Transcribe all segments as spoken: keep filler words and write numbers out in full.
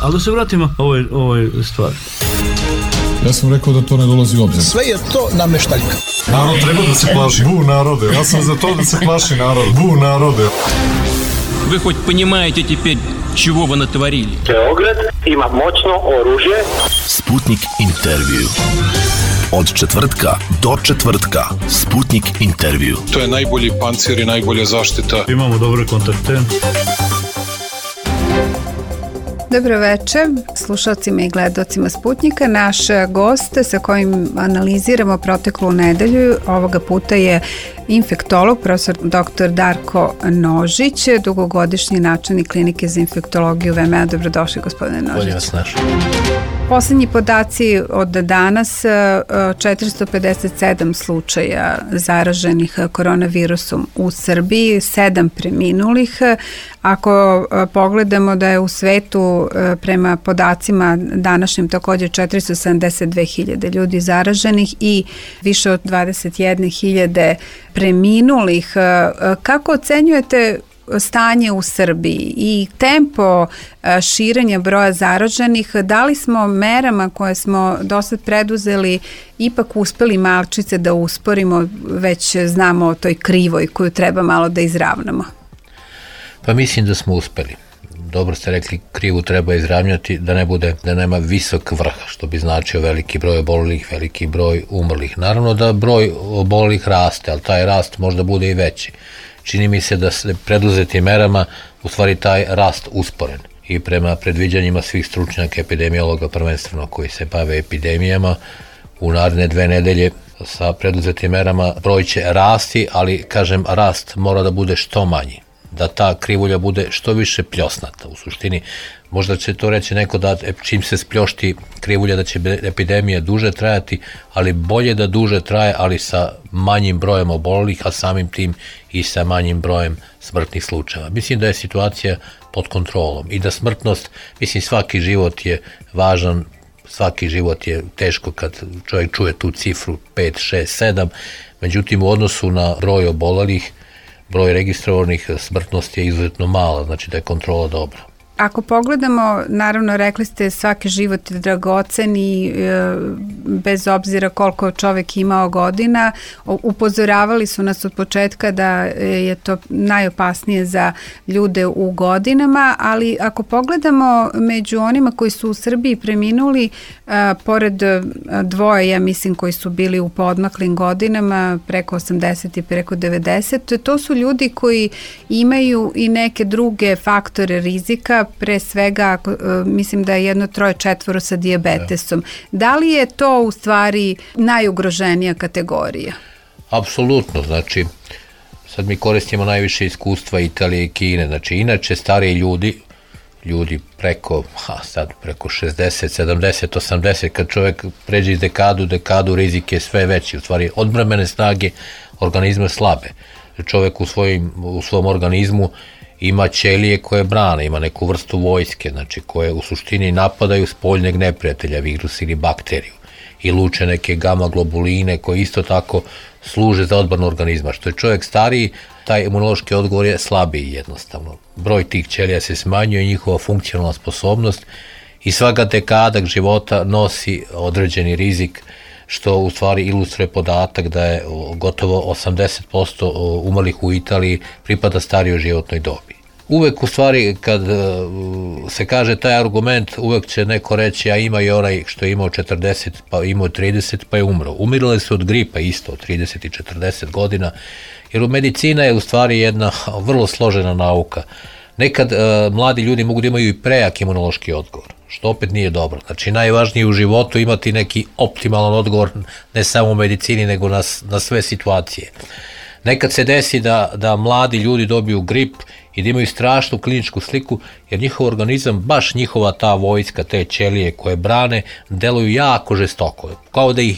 Ali da se vratimo ovoj, ovoj stvari. Ja sam rekao da to ne dolazi u obzir. Sve je to nameštaljka. Narod treba da se plaši. Bu narode. Ja sam za to da se plaši narod. Bu narode. Вы хоть понимаете теперь, чего вы натворили? Beograd ima moćno oružje. Sputnik intervju. Od četvrtka do četvrtka. Sputnik intervju. To je najbolji pancir i najbolja zaštita. Imamo dobre kontakte. Dobro večer slušalcima i gledalcima Sputnika. Naš gost sa kojim analiziramo proteklu nedelju ovoga puta je infektolog, profesor doktor Darko Nožić, dugogodišnji načelnik klinike za infektologiju V M A. Dobrodošli, gospodine Nožić. Bolje vas našli. Poslednji podaci od danas, četiristo pedeset sedam slučaja zaraženih koronavirusom u Srbiji, sedam preminulih. Ako pogledamo da je u svetu prema podacima današnjim također četiristo sedamdeset dve hiljade ljudi zaraženih i više od dvadeset jedne hiljade preminulih, kako ocenjujete stanje u Srbiji i tempo širenja broja zaraženih? Da li smo merama koje smo do sad preduzeli ipak uspeli malčice da usporimo, već znamo o toj krivoj koju treba malo da izravnamo? Pa mislim da smo uspeli. Dobro ste rekli, krivu treba izravnjati da ne bude, da nema visok vrh, što bi značio veliki broj obolelih, veliki broj umrlih. Naravno da broj obolelih raste, ali taj rast možda bude i veći. Čini mi se da se preduzetim merama u stvari taj rast usporen. I prema predviđanjima svih stručnjaka, epidemiologa prvenstveno koji se bave epidemijama, u naredne dve nedelje sa preduzetim merama broj će rasti, ali kažem rast mora da bude što manji, da ta krivulja bude što više pljosnata. U suštini, možda će to reći neko da čim se spljošti krivulja da će epidemija duže trajati, ali bolje da duže traje, ali sa manjim brojem obolelih, a samim tim i sa manjim brojem smrtnih slučajeva. Mislim da je situacija pod kontrolom i da smrtnost, mislim svaki život je važan, svaki život je teško kad čovjek čuje tu cifru pet, šest, sedam, međutim u odnosu na broj obolelih, broj registrovanih smrtnosti je izuzetno mala, znači da je kontrola dobra. Ako pogledamo, naravno rekli ste svaki život je dragocen i e, bez obzira koliko čovek imao godina, upozoravali su nas od početka da je to najopasnije za ljude u godinama, ali ako pogledamo među onima koji su u Srbiji preminuli, e, pored dvoje, ja mislim, koji su bili u podmaklim godinama, preko osamdeset i preko devedeset, to su ljudi koji imaju i neke druge faktore rizika, pre svega mislim da je jedno troje četvoro sa dijabetesom. Da li je to u stvari najugroženija kategorija? Apsolutno, znači sad mi koristimo najviše iskustva Italije i Kine, znači inače stariji ljudi, ljudi preko, ha, sad preko šezdeset, sedamdeset, osamdeset, kad čovjek pređe iz dekadu, dekadu rizik je sve veći, u stvari odbrambene snage organizma slabe. Čovjek u, svojim, u svom organizmu ima ćelije koje brane, ima neku vrstu vojske, znači koje u suštini napadaju spoljnjeg neprijatelja, virus ili bakteriju, i luče neke gama globuline koje isto tako služe za odbranu organizma. Što je čovjek stariji, taj imunološki odgovor je slabiji jednostavno. Broj tih ćelija se smanjuje, njihova funkcionalna sposobnost i svaka dekada života nosi određeni rizik, što u stvari ilustruje podatak da je gotovo osamdeset posto umrlih u Italiji pripada starijoj životnoj dobi. Uvek u stvari kad se kaže taj argument, uvek će neko reći, a ima i onaj što je imao četrdeset, pa imao trideset, pa je umro. Umirale su od gripa isto, od trideset i četrdeset godina, jer u medicina je u stvari jedna vrlo složena nauka. Nekad uh, mladi ljudi mogu da imaju i prejak imunološki odgovor, što opet nije dobro. Znači najvažnije u životu imati neki optimalan odgovor, ne samo u medicini, nego na, na sve situacije. Nekad se desi da, da mladi ljudi dobiju grip i da imaju strašnu kliničku sliku, jer njihov organizam, baš njihova ta vojska, te ćelije koje brane, deluju jako žestoko, kao da ih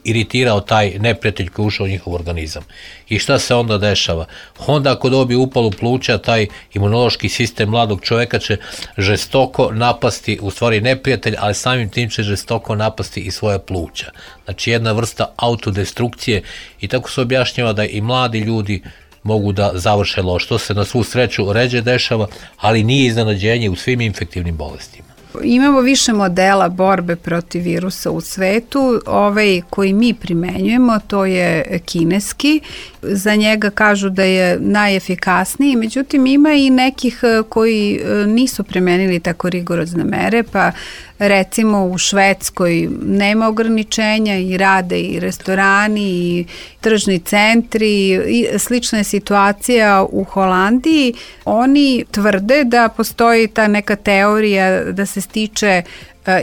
iritirao taj neprijatelj koji ušao u njihov organizam. I šta se onda dešava? Onda ako dobije upalu pluća, taj imunološki sistem mladog čoveka će žestoko napasti, u stvari neprijatelj, ali samim tim će žestoko napasti i svoje pluća. Znači jedna vrsta autodestrukcije, i tako se objašnjava da i mladi ljudi mogu da završe loš. To se na svu sreću ređe dešava, ali nije iznenađenje u svim infektivnim bolestima. Imamo više modela borbe protiv virusa u svetu. Ovaj koji mi primenjujemo, to je kineski. Za njega kažu da je najefikasniji, međutim ima i nekih koji nisu primenili tako rigorozne mere, pa recimo u Švedskoj nema ograničenja i rade i restorani i tržni centri i slična je situacija u Holandiji. Oni tvrde da postoji ta neka teorija da se stiče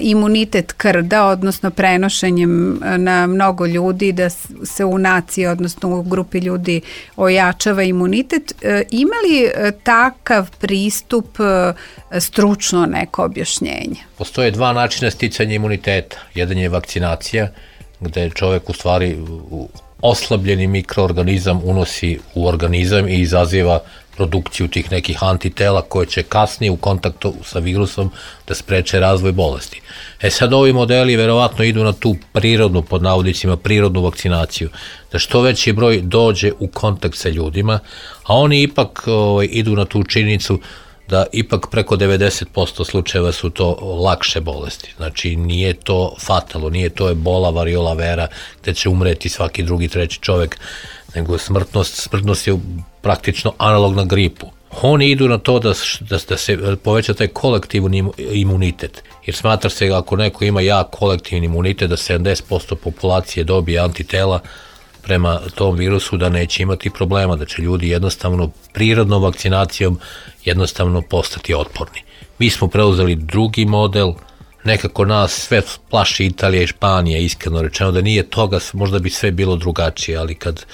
imunitet krda, odnosno prenošenjem na mnogo ljudi, da se u naciji, odnosno u grupi ljudi ojačava imunitet. Ima li takav pristup stručno neko objašnjenje? Postoje dva načina sticanja imuniteta. Jedan je vakcinacija, gde čovjek u stvari oslabljeni mikroorganizam unosi u organizam i izaziva produkciju tih nekih antitela koje će kasnije u kontaktu sa virusom da spreče razvoj bolesti. E sad ovi modeli verovatno idu na tu prirodnu, pod navodnicima, prirodnu vakcinaciju, da što veći broj dođe u kontakt sa ljudima, a oni ipak ovaj, idu na tu činjenicu da ipak preko devedeset posto slučajeva su to lakše bolesti. Znači nije to fatalno, nije to ebola, variola vera, gde će umreti svaki drugi, treći čovek, nego smrtnost, smrtnost je praktično analogna gripu. Oni idu na to da, da, da se poveća taj kolektivni imunitet, jer smatra se ako neko ima jak kolektivni imunitet da sedamdeset posto populacije dobije antitela prema tom virusu, da neće imati problema, da će ljudi jednostavno prirodnom vakcinacijom jednostavno postati otporni. Mi smo preuzeli drugi model, nekako nas sve plaši Italija i Španija, iskreno rečeno da nije toga, možda bi sve bilo drugačije, ali kad,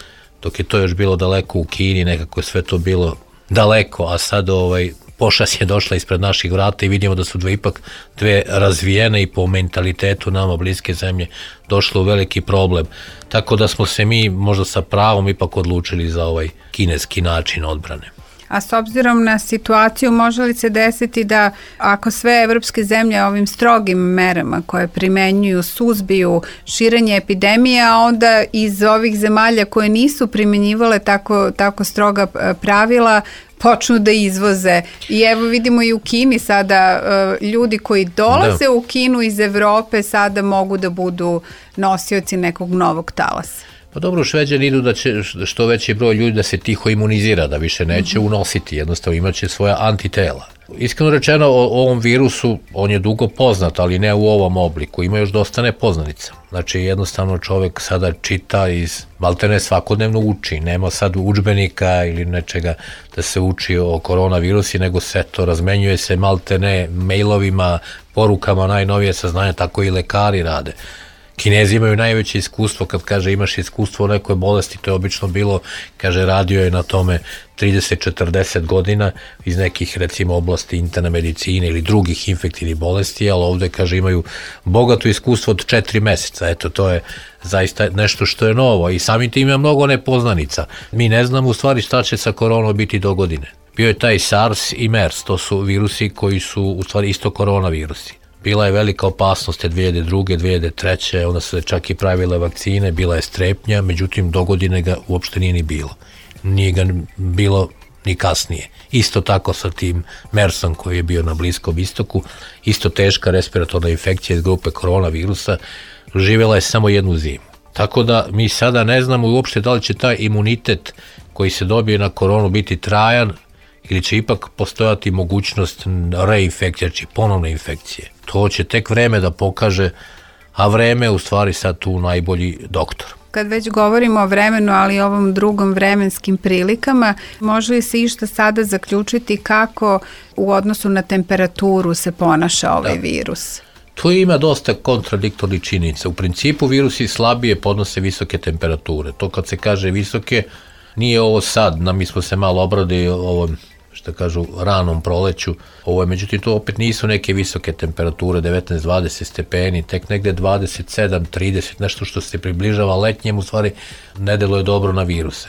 dok je to još bilo daleko u Kini, nekako je sve to bilo daleko, a sad ovaj, pošast je došla ispred naših vrata i vidimo da su dve ipak dve razvijene i po mentalitetu nama bliske zemlje došlo u veliki problem. Tako da smo se mi možda sa pravom ipak odlučili za ovaj kineski način odbrane. A s obzirom na situaciju, može li se desiti da ako sve evropske zemlje ovim strogim merama koje primenjuju suzbiju širenje epidemije, a onda iz ovih zemalja koje nisu primenjivale tako, tako stroga pravila počnu da izvoze. I evo vidimo i u Kini sada ljudi koji dolaze da. u Kinu iz Evrope sada mogu da budu nosioci nekog novog talasa. Pa dobro, Šveđani idu da će što veći broj ljudi da se tiho imunizira, da više neće unositi, jednostavno imaće svoja antitela. Iskreno rečeno, o ovom virusu, on je dugo poznat, ali ne u ovom obliku, ima još dosta nepoznanica. Znači, jednostavno čovjek sada čita iz, maltene svakodnevno uči, nema sad udžbenika ili nečega da se uči o koronavirusi, nego se to razmenjuje se maltene mailovima, porukama, najnovije saznanja, tako i lekari rade. Kinezi imaju najveće iskustvo, kad kaže imaš iskustvo o nekoj bolesti, to je obično bilo, kaže radio je na tome trideset do četrdeset godina iz nekih recimo oblasti interne medicine ili drugih infektivnih bolesti, ali ovde kaže imaju bogato iskustvo od četiri meseca, eto to je zaista nešto što je novo i samim tim ima mnogo nepoznanica. Mi ne znamo u stvari šta će sa koronom biti do godine. Bio je taj SARS i MERS, to su virusi koji su u stvari isto koronavirusi. Bila je velika opasnost te dve hiljade druge. dve hiljade treće. onda su se čak i pravile vakcine, bila je strepnja, međutim do godine ga uopšte nije ni bilo. Nije ga bilo ni kasnije. Isto tako sa tim MERS-om koji je bio na Bliskom istoku, isto teška respiratorna infekcija iz grupe koronavirusa, živjela je samo jednu zimu. Tako da mi sada ne znamo uopšte da li će taj imunitet koji se dobije na koronu biti trajan ili će ipak postojati mogućnost reinfekcije, znači ponovne infekcije. To će tek vreme da pokaže, a vreme je u stvari sad tu najbolji doktor. Kad već govorimo o vremenu, ali i ovom drugom vremenskim prilikama, može li se išta sada zaključiti kako u odnosu na temperaturu se ponaša ovaj da. virus? Tu ima dosta kontradiktornih činjenica. U principu virusi slabije podnose visoke temperature. To kad se kaže visoke, nije ovo sad, na mi smo se malo obradili ovom, što kažu, ranom proleću. Ovo je, međutim, to opet nisu neke visoke temperature, devetnaest do dvadeset stepeni, tek negde dvadeset sedam do trideset, nešto što se približava letnjem, u stvari ne deluje dobro na viruse.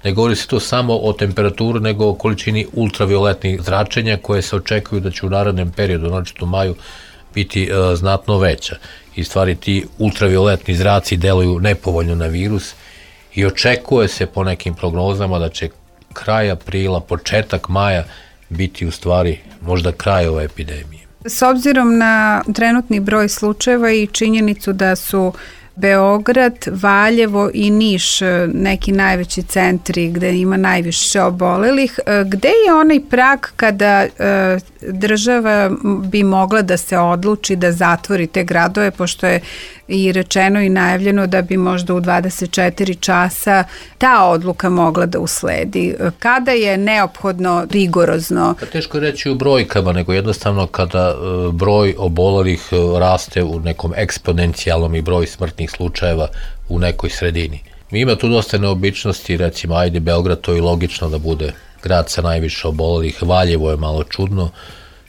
Ne govori se to samo o temperaturi, nego o količini ultravioletnih zračenja koje se očekuju da će u narednom periodu, znači u maju, biti e, znatno veća. I stvari ti ultravioletni zraci deluju nepovoljno na virus i očekuje se po nekim prognozama da će kraj aprila, početak maja biti u stvari možda kraj ove epidemije. S obzirom na trenutni broj slučajeva i činjenicu da su Beograd, Valjevo i Niš neki najveći centri gde ima najviše obolelih, gde je onaj prag kada država bi mogla da se odluči da zatvori te gradove, pošto je i rečeno i najavljeno da bi možda u dvadeset četiri časa ta odluka mogla da usledi. Kada je neophodno rigorozno? Teško je reći u brojkama, nego jednostavno kada broj obolelih raste u nekom eksponencijalnom i broj smrtnih slučajeva u nekoj sredini. Mi ima tu dosta neobičnosti, recimo, ajde Beograd, to je logično da bude grad sa najviše obolelih, Valjevo je malo čudno,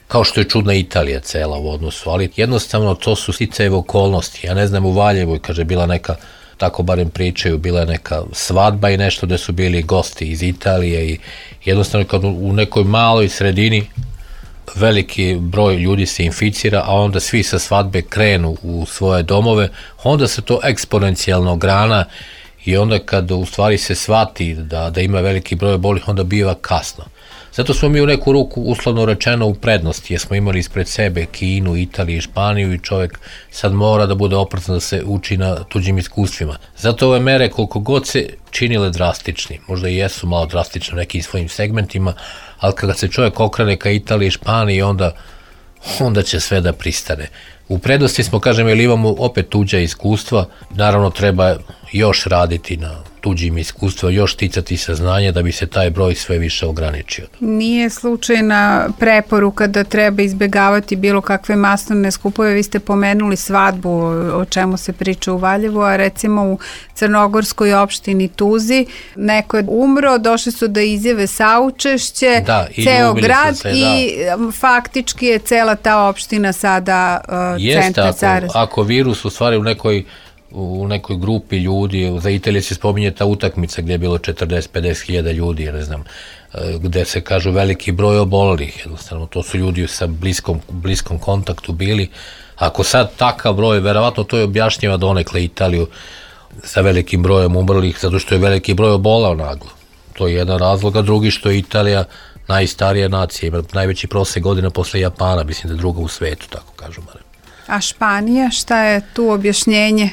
kao što je čudna Italija cela u odnosu, ali jednostavno to su sticajeve okolnosti. Ja ne znam, u Valjevu, kaže, bila neka, tako barem pričaju, bila je neka svadba i nešto gde su bili gosti iz Italije i jednostavno kad u nekoj maloj sredini veliki broj ljudi se inficira, a onda svi sa svadbe krenu u svoje domove, onda se to eksponencijalno grana i onda kad u stvari se shvati da, da ima veliki broj obolelih, onda biva kasno. Zato smo mi u neku ruku, uslovno rečeno, u prednosti, jer smo imali ispred sebe Kinu, Italiju i Španiju i čovjek sad mora da bude oprezan da se uči na tuđim iskustvima. Zato ove mere, koliko god se činile drastični, možda i jesu malo drastične u nekim svojim segmentima, ali kada se čovjek okrene ka Italiji i Španiji, onda, onda će sve da pristane. U prednosti smo, kažem, jer imamo opet tuđa iskustva, naravno treba još raditi na tuđim iskustva, još ticati saznanja da bi se taj broj sve više ograničio. Nije slučajna preporuka da treba izbegavati bilo kakve masovne skupove. Vi ste pomenuli svadbu, o čemu se priča u Valjevu, a recimo u crnogorskoj opštini Tuzi neko je umro, došli su da izjave saučešće, da, ceo grad se, i da. Faktički je cela ta opština sada uh, Jeste, centar ako, ako virus u stvari u nekoj u nekoj grupi ljudi, za Italije se spominje ta utakmica gdje je bilo četrdeset do pedeset hiljada ljudi, ne znam, gde se kažu veliki broj obolelih, jednostavno to su ljudi sa bliskom, bliskom kontaktu bili. Ako sad takav broj, verovatno to je objašnjava donekle Italiju sa velikim brojem umrlih, zato što je veliki broj obolao naglo. To je jedan razlog, a drugi što je Italija najstarija nacija, ima najveći prosek godina posle Japana, mislim da je druga u svetu, tako kažu barem. A Španija, šta je tu objašnjenje?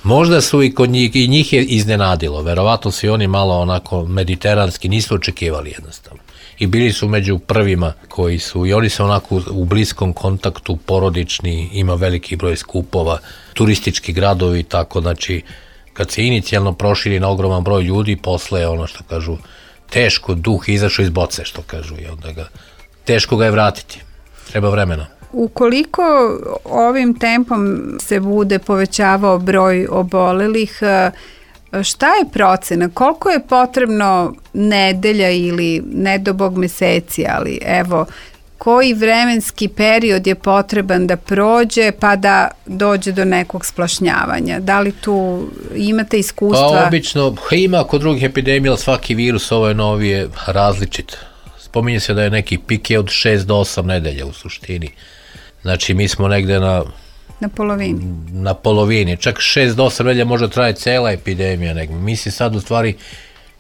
Možda su i kod njih, i njih je iznenadilo, verovatno su i oni malo onako mediteranski, nisu očekivali jednostavno. I bili su među prvima koji su, i oni su onako u bliskom kontaktu, porodični, ima veliki broj skupova, turistički gradovi, tako, znači, kad se inicijalno proširi na ogroman broj ljudi, posle je ono što kažu, teško duh izašao iz boce, što kažu, i onda ga, teško ga je vratiti, treba vremena. Ukoliko ovim tempom se bude povećavao broj obolelih, šta je procena? Koliko je potrebno nedelja ili ne do bog meseci, ali evo, koji vremenski period je potreban da prođe pa da dođe do nekog splašnjavanja? Da li tu imate iskustva? Pa obično, ima kod drugih epidemija, ali svaki virus, ovo je novi, je različit. Spominje se da je neki pik je od šest do osam nedelja u suštini. Znači, mi smo negde na... Na polovini. Na polovini. Čak šest do osam nedelja može traje cela epidemija. Negde. Mi se sad u stvari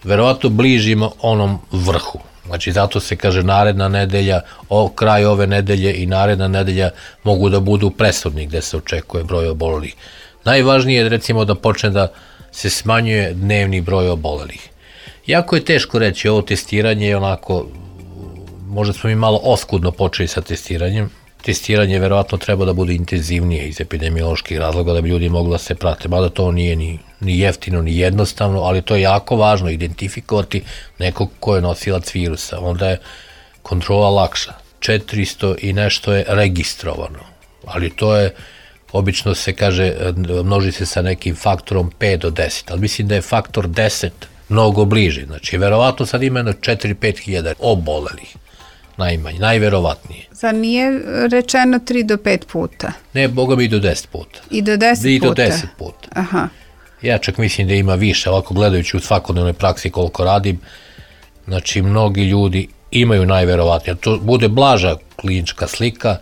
verovatno bližimo onom vrhu. Znači, zato se kaže naredna nedelja, o, kraj ove nedelje i naredna nedelja mogu da budu presudni gde se očekuje broj obolelih. Najvažnije je, recimo, da počne da se smanjuje dnevni broj obolelih. Jako je teško reći, ovo testiranje je onako, možda smo mi malo oskudno počeli sa testiranjem. Testiranje verovatno treba da bude intenzivnije iz epidemioloških razloga da bi ljudi mogli da se prate, mada to nije ni, ni jeftino ni jednostavno, ali to je jako važno identifikovati nekog ko je nosilac virusa, onda je kontrola lakša. četiristo i nešto je registrovano, ali to je, obično se kaže, množi se sa nekim faktorom pet do deset, ali mislim da je faktor deset mnogo bliži, znači verovatno sad ima četiri do pet hiljada obolelih. Najmanje, najverovatnije. Zar nije rečeno tri do pet puta? Ne, boga mi i do deset puta. I do deset I puta? do deset puta. Aha. Ja čak mislim da ima više, ovako gledajući u svakodnevnoj praksi koliko radim, znači mnogi ljudi imaju najverovatnije. To bude blaža klinička slika,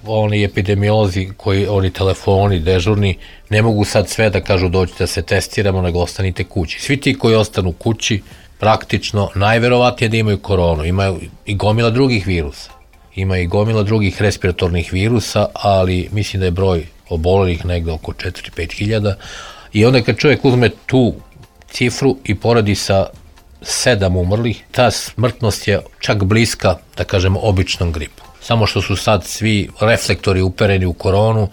oni epidemiolozi, koji, oni telefoni dežurni, ne mogu sad sve da kažu doći da se testiramo, nego ostanite kući. Svi ti koji ostanu kući, praktično najverovatnije da imaju koronu. Imaju i gomila drugih virusa. Ima i gomila drugih respiratornih virusa, ali mislim da je broj obolelih negde oko četiri do pet hiljada. I onda kad čovjek uzme tu cifru i poradi sa sedam umrlih, ta smrtnost je čak bliska, da kažemo, običnom gripu. Samo što su sad svi reflektori upereni u koronu,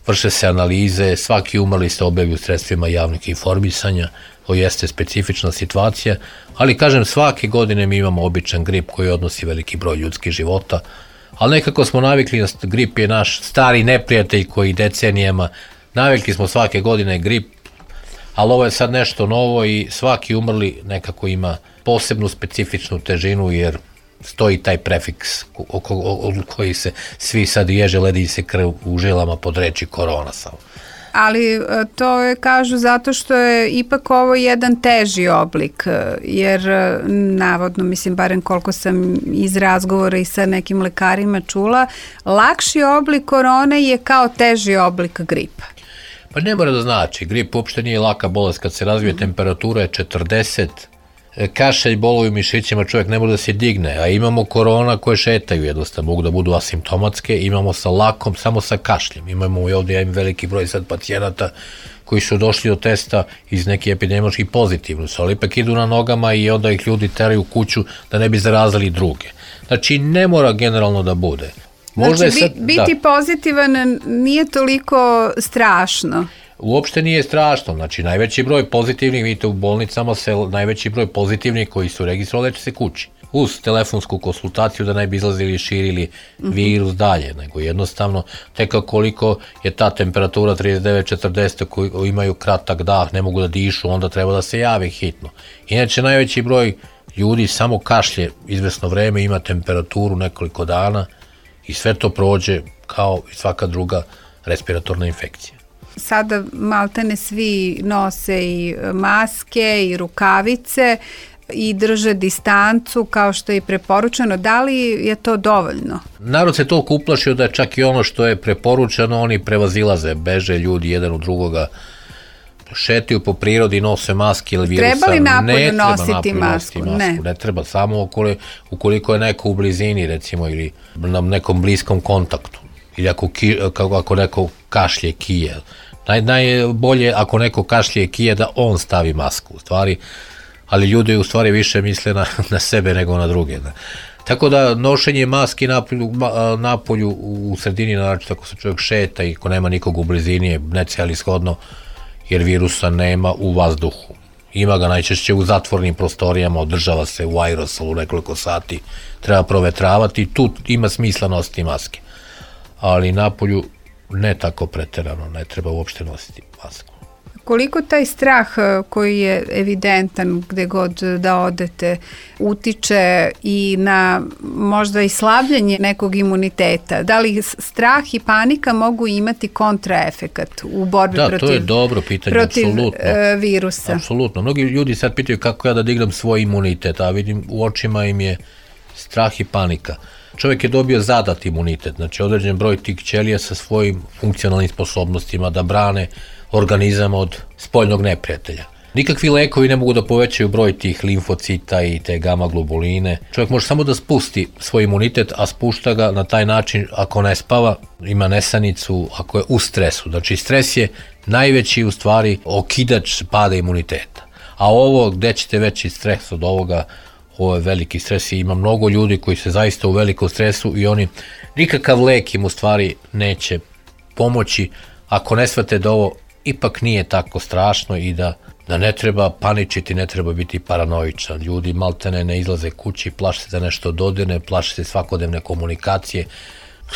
vrše se analize, svaki umrli se objavi u sredstvima javnog informisanja, to jeste specifična situacija, ali kažem, svake godine mi imamo običan grip koji odnosi veliki broj ljudskih života, ali nekako smo navikli, grip je naš stari neprijatelj koji decenijama, navikli smo svake godine grip, ali ovo je sad nešto novo i svaki umrli nekako ima posebnu specifičnu težinu, jer stoji taj prefiks oko koji se svi sad ježe, ledi se krv u žilama pod reči korona samo. Ali to je, kažu, zato što je ipak ovo jedan teži oblik, jer navodno, mislim, barem koliko sam iz razgovora i sa nekim lekarima čula, lakši oblik korone je kao teži oblik gripa. Pa ne mora da znači, grip uopšte nije laka bolest, kad se razvije temperatura je četrdeset, kašelj, bolovi u mišićima, čovjek ne može da se digne, a imamo korona koje šetaju jednostavno, mogu da budu asimptomatske, imamo sa lakom, samo sa kašljem, imamo i ovdje, ja imam veliki broj sad pacijenata koji su došli do testa iz neki epidemiološki pozitivni su, ali ipak idu na nogama i onda ih ljudi teraju u kuću da ne bi zarazili druge. Znači, ne mora generalno da bude. Možda znači, sad, biti da. pozitivan nije toliko strašno. Uopšte nije strašno, znači najveći broj pozitivnih, vidite u bolnicama se najveći broj pozitivnih koji su registrovali leče se kući. Uz telefonsku konsultaciju da ne bi izlazili i širili virus dalje, nego jednostavno tek koliko je ta temperatura trideset devet četrdeset koji imaju kratak dah, ne mogu da dišu, onda treba da se javi hitno. Inače najveći broj ljudi samo kašlje izvesno vreme, ima temperaturu nekoliko dana i sve to prođe kao i svaka druga respiratorna infekcija. Sada maltene svi nose i maske i rukavice i drže distancu kao što je i preporučeno. Da li je to dovoljno? Narod se toliko uplašio da čak i ono što je preporučeno oni prevazilaze, beže ljudi jedan u drugoga, šetaju po prirodi, nose maske ili virusa. Treba li napolju ne nositi napolju masku? masku? Ne. Ne treba, samo ukoliko, ukoliko je neko u blizini recimo ili na nekom bliskom kontaktu ili ako, ki, ako neko kašlje, kije. Naj, najbolje ako neko kašlje kije da on stavi masku u stvari, ali ljudi u stvari više misle na, na sebe nego na druge. Da. Tako da nošenje maski napolju, napolju u sredini, naravno ako se čovjek šeta i ako nema nikog u blizini je necelishodno jer virusa nema u vazduhu. Ima ga najčešće u zatvornim prostorijama, održava se u aerosolu nekoliko sati, treba provetravati i tu ima smisla nositi maske. Ali napolju ne tako preterano, ne treba uopšte nositi masku. Koliko taj strah koji je evidentan gde god da odete utiče i na možda i slabljenje nekog imuniteta? Da li strah i panika mogu imati kontraefekat u borbi da, protiv, to je dobro pitanje, protiv apsolutno. virusa? Apsolutno. Mnogi ljudi sad pitaju kako ja da dignem svoj imunitet, a vidim u očima im je strah i panika. Čovjek je dobio zadat imunitet, znači određen broj tih ćelija sa svojim funkcionalnim sposobnostima da brane organizam od spoljnog neprijatelja. Nikakvi lekovi ne mogu da povećaju broj tih limfocita i te gama globuline. Čovjek može samo da spusti svoj imunitet, a spušta ga na taj način ako ne spava, ima nesanicu, ako je u stresu. Znači stres je najveći u stvari okidač pada imuniteta. A ovo gde ćete veći stres od ovoga, ovo je veliki stres i ima mnogo ljudi koji se zaista u velikom stresu i oni nikakav lek im u stvari neće pomoći ako ne shvate da ovo ipak nije tako strašno i da, da ne treba paničiti, ne treba biti paranoičan. Ljudi maltene ne izlaze kući, plaše se da nešto dodirne, plaše se svakodnevne komunikacije.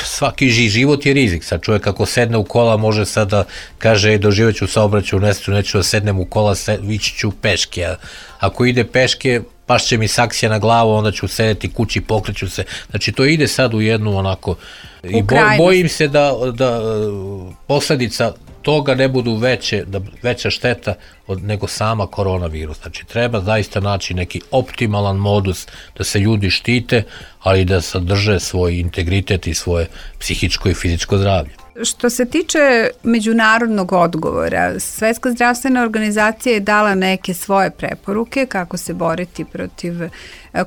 Svaki život je rizik. Sad čovjek ako sedne u kola može sad da kaže doživjet ću saobraćaj u nesreću, neću da sednem u kola, ići ću peške. A ako ide peške, pašće mi saksija na glavu, onda ću sedeti kući, pokreću se. Znači to ide sad u jednu onako i bo, bojim se da, da posljedica toga ne budu veće, da veća šteta od, nego sama koronavirus. Znači treba zaista naći neki optimalan modus da se ljudi štite, ali da sadrže svoj integritet i svoje psihičko i fizičko zdravlje. Što se tiče međunarodnog odgovora, Svetska zdravstvena organizacija je dala neke svoje preporuke kako se boriti protiv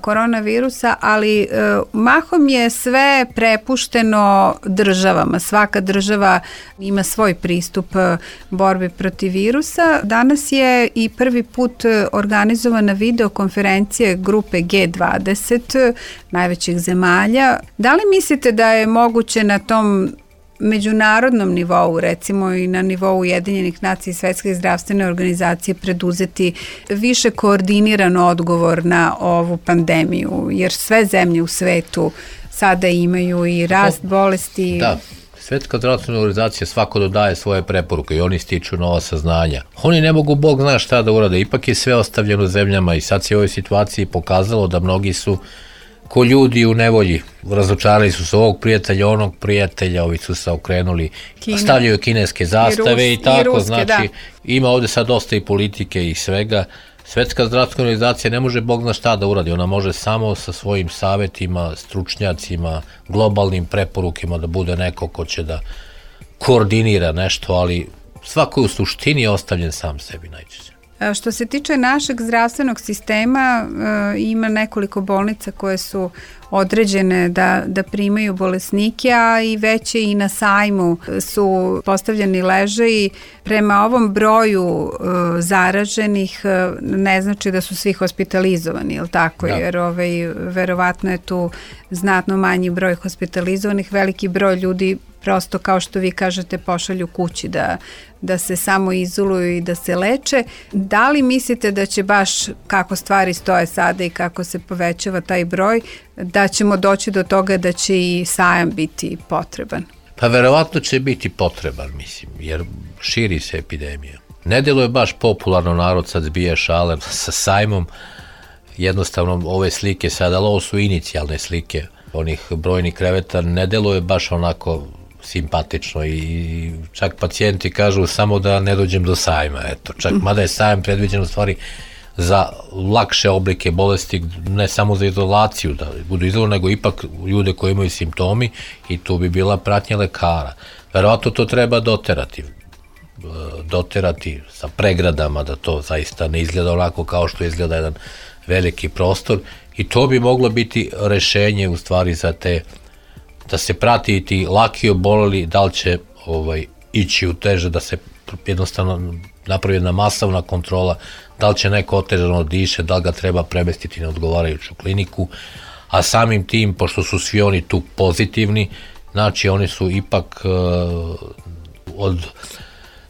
koronavirusa, ali mahom je sve prepušteno državama. Svaka država ima svoj pristup borbi protiv virusa. Danas je i prvi put organizovana videokonferencija grupe G dvadeset najvećih zemalja. Da li mislite da je moguće na tom međunarodnom nivou, recimo i na nivou Ujedinjenih nacija i Svetske zdravstvene organizacije, preduzeti više koordiniran odgovor na ovu pandemiju, jer sve zemlje u svetu sada imaju i rast bolesti. Da, Svetska zdravstvena organizacija svako dodaje svoje preporuke i oni stiču nova saznanja. Oni ne mogu, Bog zna šta da urade, ipak je sve ostavljeno zemljama i sad se u ovoj situaciji pokazalo da mnogi su ko ljudi u nevolji, razočarali su se ovog prijatelja, onog prijatelja, ovi su se okrenuli, Kine. Stavljaju kineske zastave i, Rus, i tako, i ruske, znači da. Ima ovde sad dosta i politike i svega. Svetska zdravstvena organizacija ne može Bog zna šta da uradi, ona može samo sa svojim savetima, stručnjacima, globalnim preporukima da bude neko ko će da koordinira nešto, ali svako je u suštini ostavljen sam sebi najčešće. Što se tiče našeg zdravstvenog sistema, ima nekoliko bolnica koje su određene da, da primaju bolesnike, a i već i na sajmu su postavljeni ležaji. Prema ovom broju zaraženih ne znači da su svi hospitalizovani, je li tako? Da. Jer ovaj, verovatno je tu znatno manji broj hospitalizovanih, veliki broj ljudi prosto, kao što vi kažete, pošalju kući da, da se samo izoluju i da se leče. Da li mislite da će baš, kako stvari stoje sada i kako se povećava taj broj, da ćemo doći do toga da će i sajam biti potreban? Pa verovatno će biti potreban, mislim, jer širi se epidemija. Ne deluje baš popularno, narod sad zbija šale sa sajmom, jednostavno ove slike sada, ali ovo su inicijalne slike onih brojnih kreveta, ne deluje baš onako simpatično i čak pacijenti kažu samo da ne dođem do sajma, eto, čak mada je sajam predviđen u stvari za lakše oblike bolesti, ne samo za izolaciju, da budu izolirani, nego ipak ljude koji imaju simptomi i tu bi bila pratnja lekara. Verovatno to treba doterati, doterati sa pregradama, da to zaista ne izgleda onako kao što izgleda jedan veliki prostor i to bi moglo biti rešenje u stvari za te, da se prati i ti laki oboleli, da li će ovaj, ići u teže, da se jednostavno napravi jedna masovna kontrola, da li će neko otežano diše, da li ga treba premestiti na odgovarajuću kliniku, a samim tim, pošto su svi oni tu pozitivni, znači oni su ipak uh, od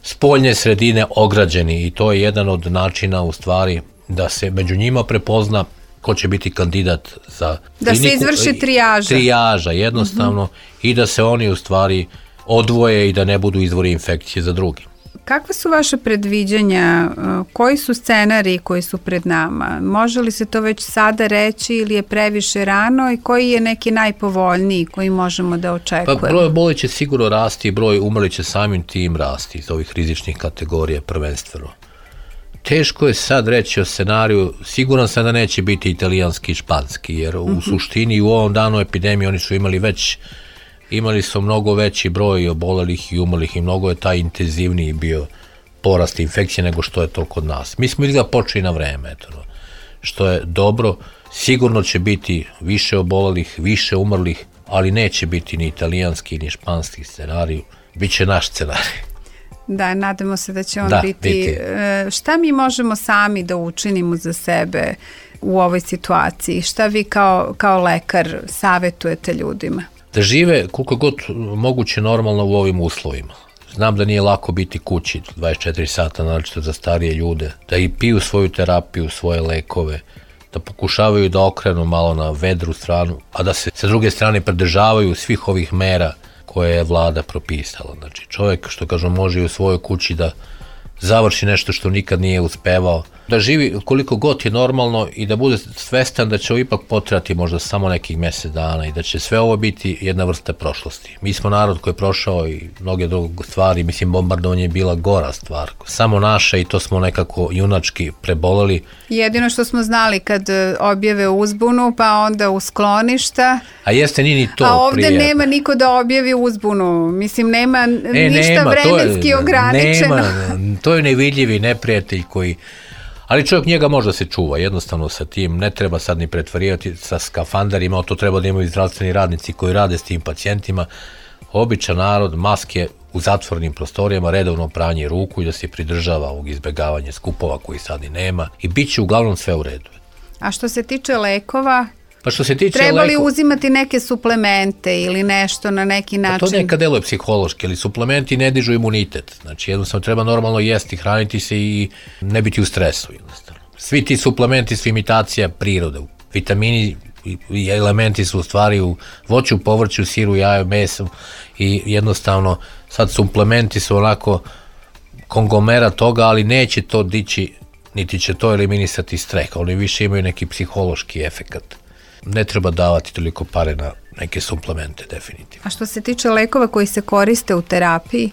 spoljne sredine ograđeni i to je jedan od načina u stvari da se među njima prepozna ko će biti kandidat za da kliniku. Da se izvrši trijaža. Trijaža, jednostavno, mm-hmm. i da se oni u stvari odvoje i da ne budu izvori infekcije za drugi. Kakva su vaše predviđanja? Koji su scenariji koji su pred nama? Može li se to već sada reći ili je previše rano i koji je neki najpovoljniji koji možemo da očekujemo? Pa broj obolelih će sigurno rasti i broj umrlih će samim tim rasti iz ovih rizičnih kategorija prvenstveno. Teško je sad reći o scenariju, siguran sam da neće biti italijanski i španski, jer u mm-hmm. suštini u ovom danu epidemije oni su imali već, imali su mnogo veći broj obolelih i umrlih i mnogo je taj intenzivniji bio porast infekcije nego što je to kod nas. Mi smo izgleda počeli na vreme, eto, što je dobro, sigurno će biti više obolelih, više umrlih, ali neće biti ni italijanski ni španski scenarij, bit će naš scenarij. Da, nadamo se da će on da, biti. biti. Šta mi možemo sami da učinimo za sebe u ovoj situaciji? Šta vi kao, kao lekar savetujete ljudima? Da žive koliko god moguće normalno u ovim uslovima. Znam da nije lako biti kući dvadeset četiri sata, naročito za starije ljude, da i piju svoju terapiju, svoje lekove, da pokušavaju da okrenu malo na vedru stranu, a da se sa druge strane pridržavaju svih ovih mera koje je vlada propisala. Znači čovjek, što kažu, može i u svojoj kući da završi nešto što nikad nije uspevao, da živi koliko god je normalno i da bude svestan da će ovo ipak potrajati možda samo nekih mjesec dana i da će sve ovo biti jedna vrsta prošlosti. Mi smo narod koji je prošao i mnoge druge stvari, mislim bombardovanje je bila gora stvar, samo naša i to smo nekako junački preboleli. Jedino što smo znali kad objave uzbunu, pa onda u skloništa. A jeste, nije ni to A ovdje prijetno. nema niko da objavi uzbunu, mislim nema e, ništa nema, vremenski to je, ograničeno. Nema, to je nevidljivi neprijatelj koji... Ali čovjek njega može se čuva, jednostavno sa tim, ne treba sad ni pretvarivati sa skafanderima, to treba da imaju zdravstveni radnici koji rade s tim pacijentima. Običan narod, maske u zatvornim prostorijama, redovno pranje ruku i da se pridržava ovog izbjegavanja skupova koji sad i nema i bit će uglavnom sve u redu. A što se tiče lekova, pa što se tiče treba li leko... uzimati neke suplemente ili nešto na neki način? Pa to nekad deluje psihološki, ali suplementi ne dižu imunitet. Znači jednostavno treba normalno jesti, hraniti se i ne biti u stresu. Jednostavno. Svi ti suplementi su imitacija prirode. Vitamini i elementi su u stvari u voću, povrću, siru, jaju, mesu i jednostavno sad suplementi su onako kongomera toga, ali neće to dići, niti će to eliminisati streh. Oni više imaju neki psihološki efekat. Ne treba davati toliko pare na neke suplemente, definitivno. A što se tiče lekova koji se koriste u terapiji?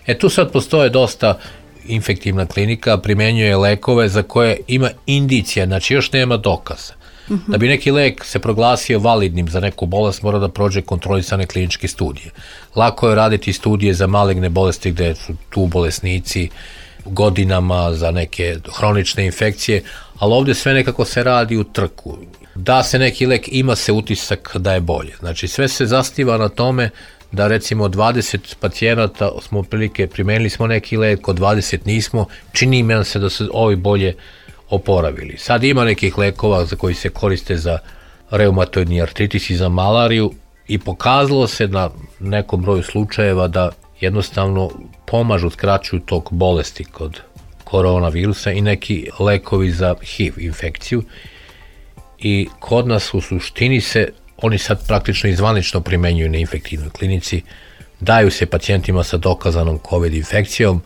E tu sad postoje dosta infektivna klinika, primenjuje lekove za koje ima indicija, znači još nema dokaza. Uh-huh. Da bi neki lek se proglasio validnim za neku bolest, mora da prođe kontrolisane kliničke studije. Lako je raditi studije za maligne bolesti gde su tu bolesnici godinama za neke hronične infekcije, ali ovdje sve nekako se radi u trku. Da se neki lek, ima se utisak da je bolje. Znači sve se zasniva na tome da recimo dvadeset pacijenata smo prilike primenili smo neki lek, kod dvadeset nismo, čini mi se da su ovi bolje oporavili. Sad ima nekih lekova za koji se koriste za reumatoidni artritis i za malariju i pokazalo se na nekom broju slučajeva da jednostavno pomažu, skraćuju tok bolesti kod koronavirusa i neki lekovi za H I V infekciju. I kod nas u suštini se, oni sad praktično izvanično primenjuju na infektivnoj klinici, daju se pacijentima sa dokazanom COVID infekcijom.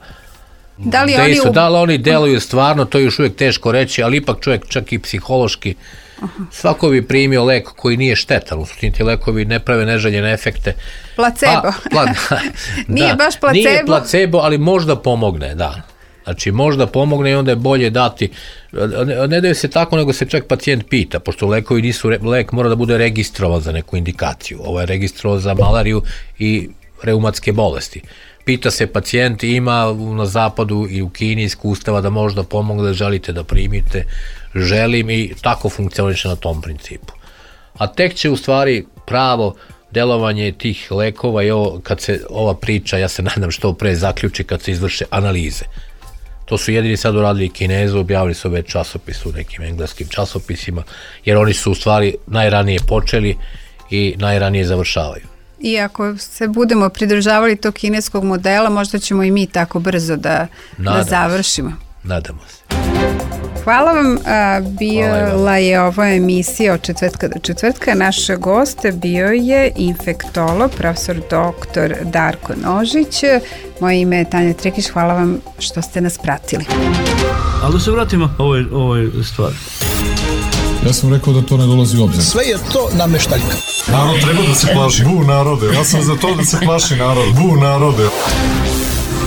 Da li, oni, su, u... da li oni deluju stvarno, to je još uvijek teško reći, ali ipak čovjek čak i psihološki, uh-huh. svako bi primio lek koji nije štetan, u suštini ti lekovi ne prave neželjene efekte. Placebo. Pa, pla, nije da, baš placebo. Nije placebo, ali možda pomogne, da. Znači možda pomogne i onda je bolje dati, ne daju se tako nego se čak pacijent pita, pošto lekovi nisu, lek mora da bude registrovan za neku indikaciju, ovo je registrovan za malariju i reumatske bolesti. Pita se pacijent, ima na zapadu i u Kini iskustava da možda pomogne, da želite da primite, želim i tako funkcioniše na tom principu. A tek će u stvari pravo delovanje tih lekova i ovo, kad se ova priča, ja se nadam što pre zaključi kad se izvrše analize. To su jedini sad uradili Kinezu, objavili su već časopis u nekim engleskim časopisima, jer oni su u stvari najranije počeli i najranije završavaju. I ako se budemo pridržavali tog kineskog modela, možda ćemo i mi tako brzo da, da završimo. Se. Nadamo se. Hvala vam, bila je ova emisija od četvrtka do četvrtka. Naš gost bio je infektolog, profesor doktor Darko Nožić. Moje ime je Tanja Trikić, hvala vam što ste nas pratili. Ali da se vratimo ovoj, ovoj stvari. Ja sam rekao da to ne dolazi u obzir. Sve je to nameštaljka. Narod treba da se plaši. Bu narode. Ja sam za to da se plaši narod. Bu narode.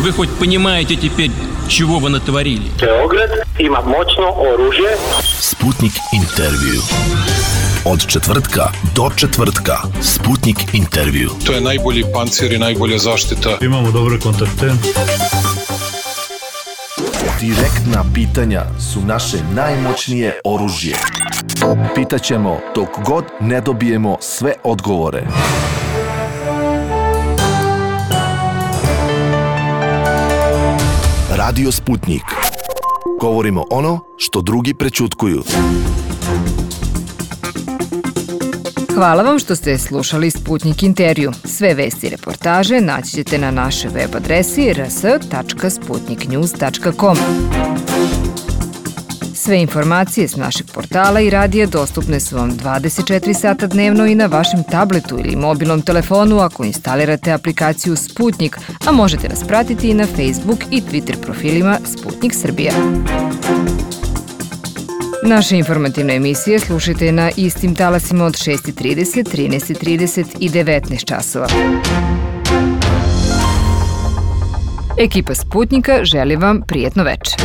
Вы хоть понимаете теперь, чего вы натворили? Beograd ima moćno oružje. Sputnik intervju. Od četvrtka do četvrtka. Sputnik intervju. To je najbolji pancir i najbolja zaštita. Imamo dobre kontakte. Direktna pitanja su naše najmoćnije oružje. Pitaćemo dok god ne dobijemo sve odgovore. Radio Sputnik. Govorimo ono što drugi prećutkuju. Hvala vam što ste slušali Sputnik intervju. Sve vesti i reportaže naći ćete na našoj web adresi r s tačka sputnik news tačka com. Sve informacije s našeg portala i radija dostupne su vam dvadeset četiri sata dnevno i na vašem tabletu ili mobilnom telefonu ako instalirate aplikaciju Sputnik, a možete nas pratiti i na Facebook i Twitter profilima Sputnik Srbija. Naše informativne emisije slušajte na istim talasima od šest i trideset, trinaest i trideset i devetnaest časova. Ekipa Sputnika želi vam prijetno veče.